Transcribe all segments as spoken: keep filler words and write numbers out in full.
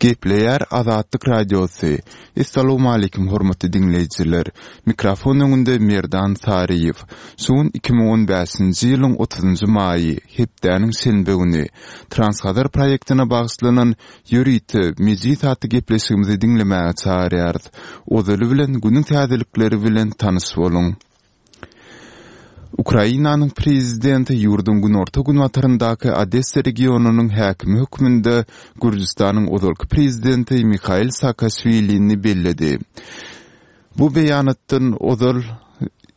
Gepleýär Azatlyk Radiosy. Essalawmaleýkim hormatly diňleýjiler. Mikrofon öňünde Merdan Saryýew. Şu gün iki müň on bäşinji ýylyň otuzynjy maýy, hepdäniň şenbe güni. Transhazar proýektine bagyşlanan ýörite Mejlis atly gepleşigimizi diňlemäge çagyrýarys. Ozaly bilen günüň täzelikleri bilen tanyş boluň. Ukrainanyň prezidenti ýurduň günorta-günbataryndaky Odessa regionynyň häkimi hökmünde Gürjüstanyň ozalky prezidenti Mihail Saakaşwilini belledi. Bu beýanatdan ozal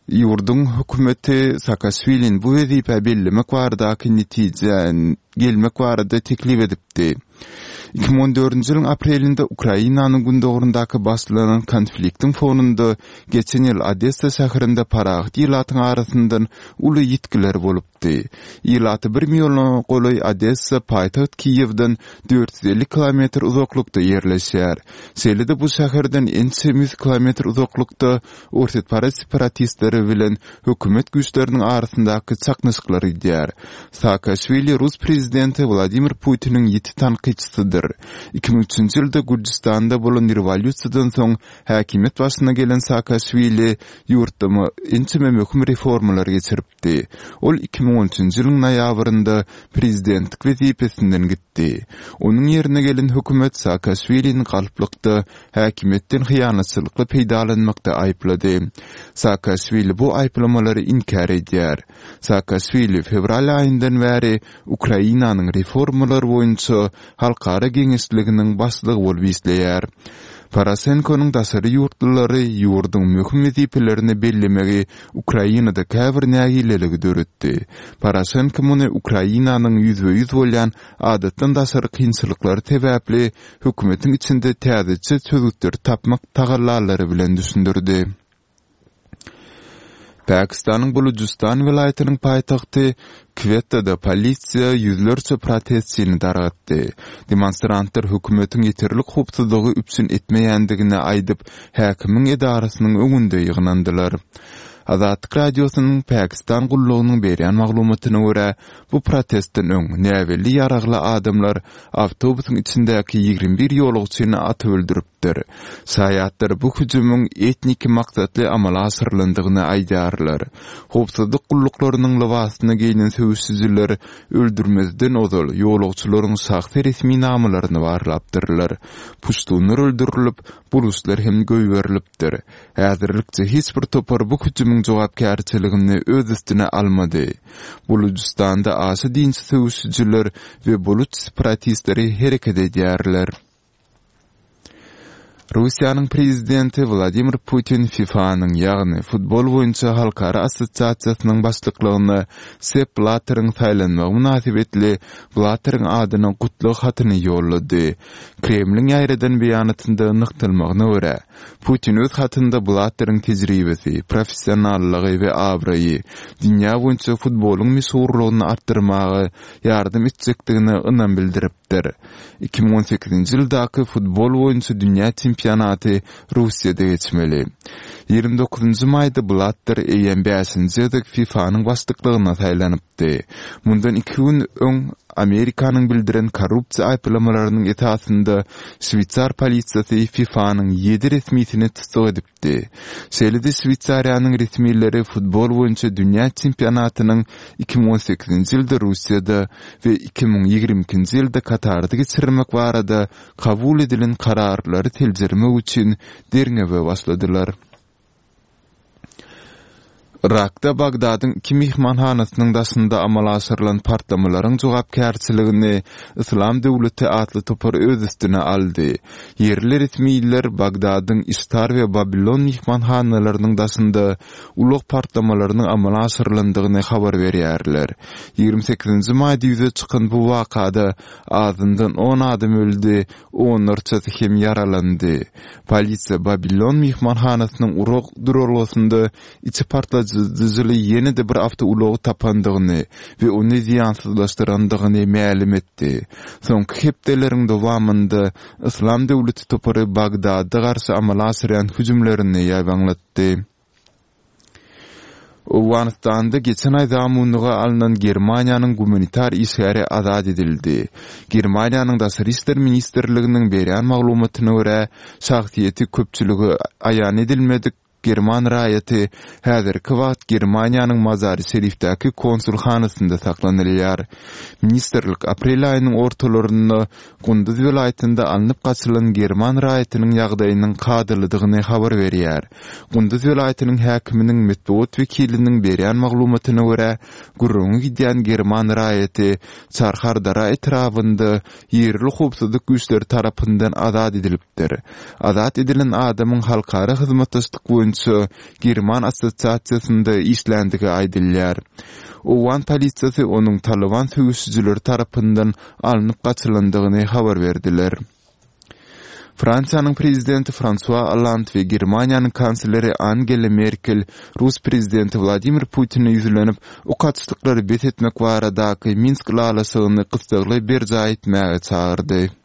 ýurduň hökümeti Saakaşwilini bu wezipä bellemek baradaky netijä gelmek barada teklip edipdi. Iki müň on dördünji ýylyň aprelinde Ukrainanyň gündogaryndaky başlanan konfliktiň fonunda geçen ýyl Odessa şäherinde parahat ilatyň arasyndan uly ýitgiler bolupdy. Ilaty bir milliona golaý Odessa paýtagt Kiýewden dört ýüz elli kilometr uzaklykda ýerleşýär. Şeýle-de bu şäherden ençeme ýüz kilometr uzaklykda orsýetparaz separatistleri bilen hökümet güýçleriniň arasyndaky çaknyşyklar gidýär. Saakaşwili rus prezidenti Wladimir Putiniň ýiti tankytçysydyr. Iki müň üçünji ýylda Gürjüstanda bolan rewolýusiýadan soň häkimiýet başyna gelen Saakaşwili ýurtda ençeme möhüm reformalar geçiripdi. Ol iki müň on üçünji ýylyň noýabrynda prezidentlik wezipesinden gitdi. Onuň ýerine gelen hökümet Saakaşwilini galplykda häkimiýetden hyýanatçylykly peýdalanmakda aýyplady. Saakaşwili bu aýyplamalary inkär edýär. Saakaşwili fewral aýyndan bäri Ukrainanyň reformalar boýunça halkara geňeşliginiň başlygy bolup işleýär. Poroşenkonyň daşary ýurtlulary ýurduň möhüm wezipelerini bellemegi Ukrainada käbir nägileligi döretdi. Poroşenko muny Ukrainanyň ýüzbe-ýüz bolýan adatdan daşary kynçylyklary sebäpli hökümetiň içinde täzeçe çözgütleri tapmak tagallalary bilen düşündirdi. Pakistanyň Bulujystan welaýatynyň paýtagty Kwettada polisiýa ýüzlerçe protestçini dargatdy. Demonstrantlar hökümetiň ýeterlik howpsuzlygy üpjün etmeýändigini aýdyp, häkimiň edarasynyň öňünde ýygnandylar. Azatlyk Radiosynyň Pakistan gullugynyň berýän maglumatyna görä, bu protestden öň näbelli ýaragly adamlar awtobusyň içindäki ýigrimi bir ýolagçyny atyp öldüripdir. Şaýatlar bu hüjümiň etniki maksatly amala aşyrylandygyny aýdýarlar. Howpsuzlyk gulluklarynyň lybasyna geýnen söweşijiler öldürmezden ozal ýolagçylaryň şahsy resminamalaryny barlapdyrlar. Puştunlar öldürilip, buluslar hem goýberilipdir. Häzirlikçe hiç bir topar bu hüjümiň jogapkärçiligini öz üstüne almady. Bulujystanda aşa dinçi söweşijiler we buluç separatistleri hereket edýärler. Russiýanyň prezidenti Wladimir Putin FIFA-nyň, ýagny futbol boýunça halkara assosiasiýasynyň başlyklygyna Sepp Blatteriň saýlanmagy mynasybetli Blatteriň adyna gutlag hatyny ýollady. Kremliň ýaýradan beýanatynda nygtalmagyna görä, Putin öz hatynda Blatteriň tejribesi, professionallygy we abraýy dünýä boýunça futbolyň meşhurlygyny artdyrmaga ýardam etjekdigine ynam bildiripdir. Iki müň on sekizinji ýyldaky futbol boýunça dünýä çempionaty Russiýada geçmeli. Ýigrimi dokuzynjy maýda Blatter eýýäm bäşinji gezek FIFA-nyň başlyklygyna saýlanypdy. Mundan iki gün öň Amerikanyň bildiren korrupsiýa aýyplamalarynyň esasynda şweýsar polisiýasy FIFA-nyň ýedi resmisini tussag edipdi. Şeýle-de Şweýsariýanyň resmileri futbol boýunça dünýä çempionatynyň iki müň on sekizinji ýylda Russiýada we iki müň ýigrimi ikinji ýylda Katarda geçirilmek barada kabul edilen kararlary seljermek üçin derňewe başladylar. Yrakda Bagdadyň iki myhmanhanasynyň daşynda amala aşyrylan partlamalaryň jogapkärçiligini Yslam döwleti atly topar öz üstüne aldy. Ýerli resmiler Bagdadyň Iştar we Babilon myhmanhanalarynyň daşynda ulag partlamalarynyň amala aşyrylandygyny habar berýärler. Ýigrimi sekizinji maýda ýüze çykan bu wakada azyndan on adam öldi, onlarçasy hem ýaralandy. Polisiýa Babilon myhmanhanasynyň ulag duralgasynda içi partladyjyly ýene-de bir awtoulagy tapandygyny we ony zyýansyzlaşdyrandygyny mälim etdi. Soňky hepdeleriň dowamynda Yslam döwleti topary Bagdada garşy amala aşyrýan hüjümlerini ýaýbaňlatdy. Owganystanda geçen aý zamunlyga alnan Germaniýanyň gumanitar işgäri azat edildi. Germaniýanyň Daşary işler ministrliginiň berýän maglumatyna görä, şahsyýeti köpçülige aýan edilmedik german raýaty häzirki wagt Germaniýanyň Mazary-Şerifdäki konsulhanasynda saklanylýar. Ministrlik aprel aýynyň ortalarynda Gunduz welaýatynda alnyp gaçylan german raýatynyň ýagdaýynyň kadalydygyny habar berýär. Gunduz welaýatynyň häkiminiň metbugat wekiliniň berýän maglumatyna görä, gürrüňi gidýän german raýaty Çarhardara etrabynda ýerli howpsuzlyk güýçleri tarapyndan azat edilipdir. Azat edilen adamyň halkara hyzmatdaşlyk boýunça german assosiasiýasynda işländigi aýdylýar. Owgan polisiýasy onuň Talyban söweşijileri tarapyndan alnyp gaçylandygyny habar berdiler. Fransiýanyň prezidenti Fransua Olland we Germaniýanyň kansleri Angela Merkel rus prezidenti Wladimir Putine ýüzlenip, ok atyşlyklary bes etmek baradaky Minsk ylalaşygyny gyssagly berjaý etmäge çagyrdy.